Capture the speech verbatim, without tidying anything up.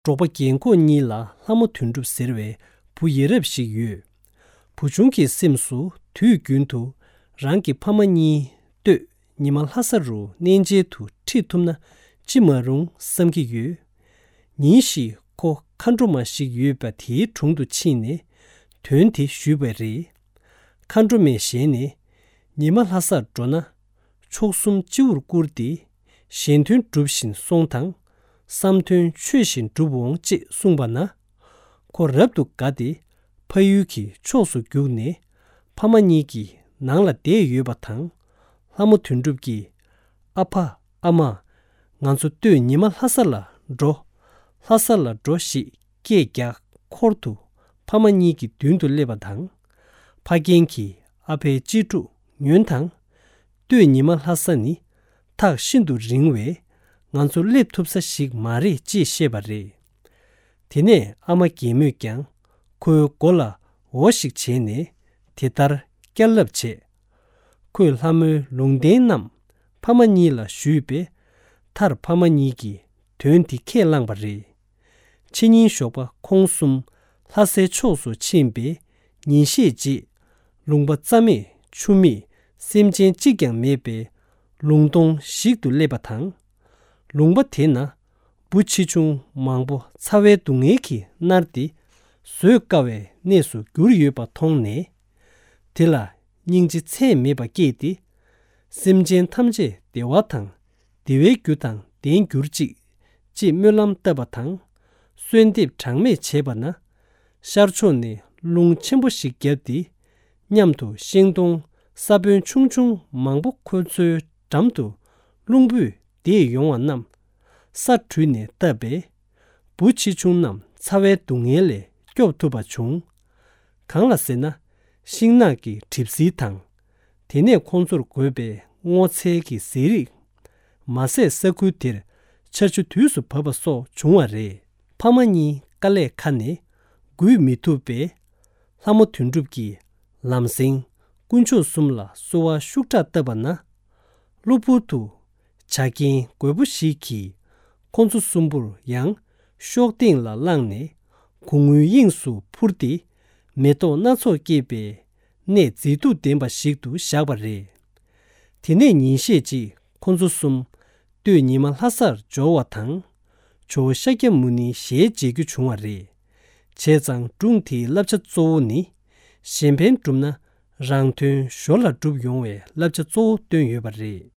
འབྲོག་པ་རྒན་འཁོགས་གཉིས་ལ་ལྷ་མོ་དོན་གྲུབ་ཟེར་བའི་བུ་ཡ་རབས་ཤིག་ཡོད། བུ་ཆུང་གི་སེམས་སུ་དུས་རྒྱུན་དུ་རང་གི་ཕ་མ་གཉིས་སྟོད་ཉི་མ་ལྷ་ས་རུ་གནས་མཇལ་དུ་ཁྲིད་ཐུབ་ན་ཅི་མ་རུང་བསམ་གྱི་ཡོད། ཉིན་ཞིག་ཁོ་མཁའ་འགྲོ་མ་ཞིག་ཡོད་པ་དེའི་དྲུང་དུ་ཕྱིན་ནས་དོན་དེ་ཞུས་པ་རེད། མཁའ་འགྲོ་མའི་ཞལ་ནས། ཉི་མ་ལྷ་སར་འགྲོ་ན། མཆོག་གསུམ་སྤྱི་བོར་བཀུར་ཏེ། གཞན་དོན་སྒྲུབ་བཞིན་སོང་དང་། བསམ་དོན་ཆོས་བཞིན་འགྲུབ་འོང་ཅེས་གསུངས་པ་ན། ཁོ་རབ་ཏུ་དགའ་སྟེ། ཕ་ཡུལ་གྱི་ཕྱོགས་སུ་བརྒྱུགས་ནས། ཕ་མ་གཉིས་ཀྱི་ནང་ལ་བསྡད་ཡོད་པ་དང་། ལྷ་མོ་དོན་གྲུབ་ཀྱིས། ཨ་ཕ། ཨ་མ། ང་ཚོ་སྟོད་ཉི་མ་ལྷ་ས་ལ་འགྲོ། ལྷ་ས་ལ་འགྲོ་ཞེས་སྐད་རྒྱག་འཁོར་དུ་ཕ་མ་གཉིས་ཀྱི་མདུན་དུ་སླེབས་པ་དང་། ཕ་རྒན་གྱིས་ཨ་ཕའི་གཅེས་ཕྲུག་ཉོན་དང་། སྟོད་ཉི་མ་ལྷ་ས་ནི་ཐག་ཤིན་ཏུ་རིང་བས་ང་ཚོ་སླེབས་ཐུབ་ས་ཞིག་མ་རེད་ཅེས་བཤད་པ་རེད། དེ་ནས་ཨ་མ་རྒན་མོས་ཀྱང་ཁོའི་མགོ་ལ་འོ་ཞིག་བྱས་ནས་དེ་ལྟར་བསྐྱར་ལབ་བྱས། ཁོས་ལྷ་མོའི་ལུང་བསྟན་རྣམས་ཕ་མ་གཉིས་ལ་ཞུས་པས། མཐར་ཕ་མ་གཉིས་ཀྱིས་དོན་དེ་ཁས་བླངས་པ་རེད། ཕྱི་ཉིན་ཞོགས་པ་ཁོང་གསུམ་ལྷ་སའི་ཕྱོགས་སུ་ཕྱིན་པས། ཉིན་ཤས་རྗེས། ལུང་པ་རྩ་མེད་ཆུ་མེད་སེམས་ཅན་གཅིག་ཀྱང་མེད་པའི་ལུང་སྟོང་ཞིག་ཏུ་སླེབས་པ་དང་། ལུང་པ་དེ་ན་འབུ་ཆེ་ཆུང་མང་པོ་ཚ་བའི་སྡུག་བསྔལ་གྱིས་མནར་ཏེ། བཟོད་དཀའ་བའི་གནས་སུ་གྱུར་ཡོད་པ་མཐོང་ནས། དེ་ལ་སྙིང་རྗེ་ཚད་མེད་པ་སྐྱེས་ཏེ། སེམས་ཅན་ཐམས་ཅད་བདེ་བ་དང་བདེ་བའི་རྒྱུ་དང་ལྡན་གྱུར་ཅིག་ཅེས་སྨོན་ལམ་བཏབ་པ་དང་། གསོལ་འདེབས་གྲངས་མེད་བྱས་པ་ན། ཤར་ཕྱོགས་ནས་རླུང་ཆེན་པོ་ཞིག་བརྒྱབ་སྟེ། མཉམ་དུ་ཤིང་སྡོང་ས་བོན་ཆུང་ཆུང་མང་པོ་ཁོ་ཚོའི་འགྲམ་དུ་རླུང་བུས་འདེད་ཡོང་བ་རྣམས་ས་བྲུས་ནས་བཏབ་པས། འབུ་ཆེ་ཆུང་རྣམས་ཚ་བའི་སྡུག་བསྔལ་ལས་སྐྱོབ་ཐུབ་པ་བྱུང་། གང་ལ་ཟེར་ན། ཤིང་ནགས་ཀྱི་གྲིབ་བསིལ་དང་། དེ་ནས་ཁོང་ཚོར་དགོས་པའི་སྔོ་ཚལ་གྱི་ཟས་རིགས། མ་ཟད་ས་ཁུལ་དེར་ཆར་ཆུ་དུས་སུ་བབས་པ་སོགས་བྱུང་བ་རེད། ཕ་མ་གཉིས་དཀའ་ལས་ཁ་ནས་འགུལ་མི་ཐུབ་པས། ལྷ་མོ་དོན་གྲུབ་ཀྱིས་ལམ་སེང་དཀོན་མཆོག་གསུམ་ལ་གསོལ་བ་ཤུགས་དྲག་བཏབ་པ་ན། གློ་བུར་དུ་བྱ་རྒན་རྒོད་པོ་ཞིག་གིས་ཁོ་ཚོ་གསུམ་པོར་ཡང་གཤོག་སྟེང་ལ་བསླངས་ནས་གོང་བུའི་དབྱིངས་སུ་འཕུར་ཏེ། མེ་ཏོག་སྣ་ཚོགས་སྐྱེས་པའི་གནས་མཛེས་སྡུག་ལྡན་པ་ཞིག་ཏུ་བཞག་པ་རེད། དེ་ནས་ཉིན་ཤས་རྗེས་ཁོ་ཚོ་གསུམ་སྟོད་ཉི་མ་ལྷ་སར་འབྱོར་བ་དང་། ཇོ་བོ་ཤཱཀྱ་མུ་ནིའི་ཞལ་མཇལ་རྒྱུ་བྱུང་བ་རེད། བྱས་ཙང་སྒྲུང་དེའི་བསླབ་བྱ་གཙོ་བོ་ནི། གཞན་ཕན་བསྒྲུབ་ན་རང་དོན་ཞོར་ལ་འགྲུབ་ཡོང་བའི་བསླབ་བྱ་གཙོ་བོ་བཏོན་ཡོད་པ་རེད།